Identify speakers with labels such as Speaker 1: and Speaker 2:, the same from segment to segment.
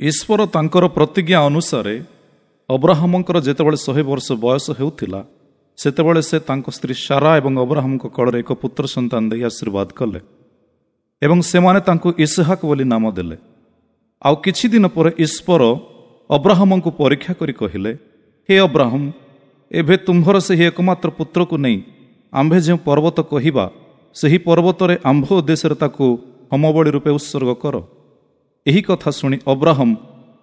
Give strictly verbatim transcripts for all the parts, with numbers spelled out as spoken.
Speaker 1: ଈଶ୍ୱର ତାଙ୍କର ପ୍ରତିଜ୍ଞା ଅନୁସାରେ ଅବ୍ରାହମଙ୍କର ଯେତେବେଳେ ଶହେ ବର୍ଷ ବୟସ ହେଉଥିଲା, ସେତେବେଳେ ସେ ତାଙ୍କ ସ୍ତ୍ରୀ ସାରା ଏବଂ ଅବ୍ରାହମଙ୍କ କୋଳରେ ଏକ ପୁତ୍ର ସନ୍ତାନ ଦେଇ ଆଶୀର୍ବାଦ କଲେ ଏବଂ ସେମାନେ ତାଙ୍କୁ ଇସହାକ ବୋଲି ନାମ ଦେଲେ। ଆଉ କିଛି ଦିନ ପରେ ଈଶ୍ୱର ଅବ୍ରାହମଙ୍କୁ ପରୀକ୍ଷା କରି କହିଲେ, ହେ ଅବ୍ରାହମ, ଏବେ ତୁମ୍ଭର ସେହି ଏକମାତ୍ର ପୁତ୍ରକୁ ନେଇ ଆମ୍ଭେ ଯେଉଁ ପର୍ବତ କହିବା, ସେହି ପର୍ବତରେ ଆମ୍ଭ ଉଦ୍ଦେଶ୍ୟରେ ତାକୁ ହୋମବଳି ରୂପେ ଉତ୍ସର୍ଗ କର। ଏହି କଥା ଶୁଣି ଅବ୍ରାହମ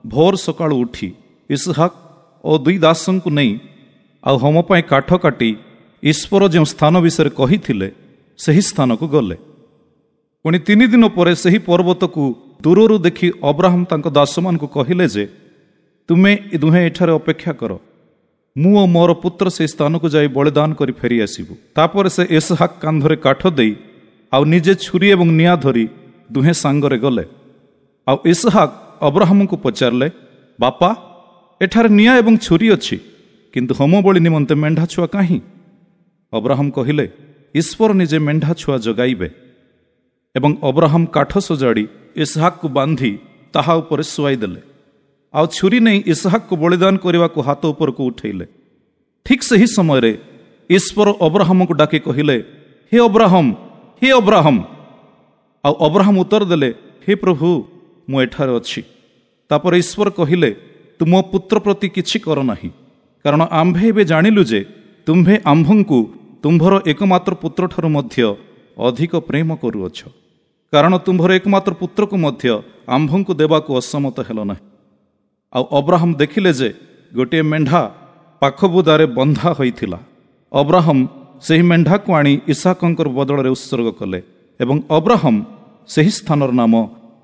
Speaker 1: ଭୋର ସକାଳୁ ଉଠି ଇସହାକ ଓ ଦୁଇ ଦାସଙ୍କୁ ନେଇ ଆଉ ହୋମ ପାଇଁ କାଠ କାଟି ଈଶ୍ୱର ଯେଉଁ ସ୍ଥାନ ବିଷୟରେ କହିଥିଲେ, ସେହି ସ୍ଥାନକୁ ଗଲେ। ପୁଣି ତିନି ଦିନ ପରେ ସେହି ପର୍ବତକୁ ଦୂରରୁ ଦେଖି ଅବ୍ରାହମ ତାଙ୍କ ଦାସମାନଙ୍କୁ କହିଲେ ଯେ, ତୁମେ ଦୁହେଁ ଏଠାରେ ଅପେକ୍ଷା କର, ମୁଁ ଓ ମୋର ପୁତ୍ର ସେହି ସ୍ଥାନକୁ ଯାଇ ବଳିଦାନ କରି ଫେରି ଆସିବୁ। ତାପରେ ସେ ଇସହାକ କାନ୍ଧରେ କାଠ ଦେଇ ଆଉ ନିଜେ ଛୁରୀ ଏବଂ ନିଆଁ ଧରି ଦୁହେଁ ସାଙ୍ଗରେ ଗଲେ। ଆଉ ଇସହାକ ଅବ୍ରାହମଙ୍କୁ ପଚାରିଲେ, ବାପା, ଏଠାରେ ନିଆଁ ଏବଂ ଛୁରୀ ଅଛି, କିନ୍ତୁ ହୋମବଳି ନିମନ୍ତେ ମେଣ୍ଢା ଛୁଆ କାହିଁ? ଅବ୍ରାହମ କହିଲେ, ଈଶ୍ୱର ନିଜେ ମେଣ୍ଢା ଛୁଆ ଯୋଗାଇବେ। ଏବଂ ଅବ୍ରାହମ କାଠ ସଜାଡ଼ି ଇସହାକକୁ ବାନ୍ଧି ତାହା ଉପରେ ଶୁଆଇ ଦେଲେ, ଆଉ ଛୁରୀ ନେଇ ଇସହାକକୁ ବଳିଦାନ କରିବାକୁ ହାତ ଉପରକୁ ଉଠେଇଲେ। ଠିକ୍ ସେହି ସମୟରେ ଈଶ୍ୱର ଅବ୍ରାହମଙ୍କୁ ଡାକି କହିଲେ, ହେ ଅବ୍ରାହମ, ହେ ଅବ୍ରାହମ। ଆଉ ଅବ୍ରାହମ ଉତ୍ତର ଦେଲେ, ହେ ପ୍ରଭୁ, ମୁଁ ଏଠାରେ ଅଛି। ତାପରେ ଈଶ୍ୱର କହିଲେ, ତୁମ ପୁତ୍ର ପ୍ରତି କିଛି କର ନାହିଁ, କାରଣ ଆମ୍ଭେ ଏବେ ଜାଣିଲୁ ଯେ ତୁମ୍ଭେ ଆମ୍ଭଙ୍କୁ ତୁମ୍ଭର ଏକମାତ୍ର ପୁତ୍ରଠାରୁ ମଧ୍ୟ ଅଧିକ ପ୍ରେମ କରୁଅଛ, କାରଣ ତୁମ୍ଭର ଏକମାତ୍ର ପୁତ୍ରକୁ ମଧ୍ୟ ଆମ୍ଭଙ୍କୁ ଦେବାକୁ ଅସମତ ହେଲ ନାହିଁ। ଆଉ ଅବ୍ରାହମ ଦେଖିଲେ ଯେ ଗୋଟିଏ ମେଣ୍ଢା ପାଖ ବୁଦାରେ ବନ୍ଧା ହୋଇଥିଲା। ଅବ୍ରାହମ ସେହି ମେଣ୍ଢାକୁ ଆଣି ଇସାକଙ୍କର ବଦଳରେ ଉତ୍ସର୍ଗ କଲେ ଏବଂ ଅବ୍ରାହମ ସେହି ସ୍ଥାନର ନାମ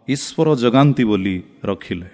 Speaker 1: ଈଶ୍ୱର ଜଗାନ୍ତି ବୋଲି ରଖିଲେ।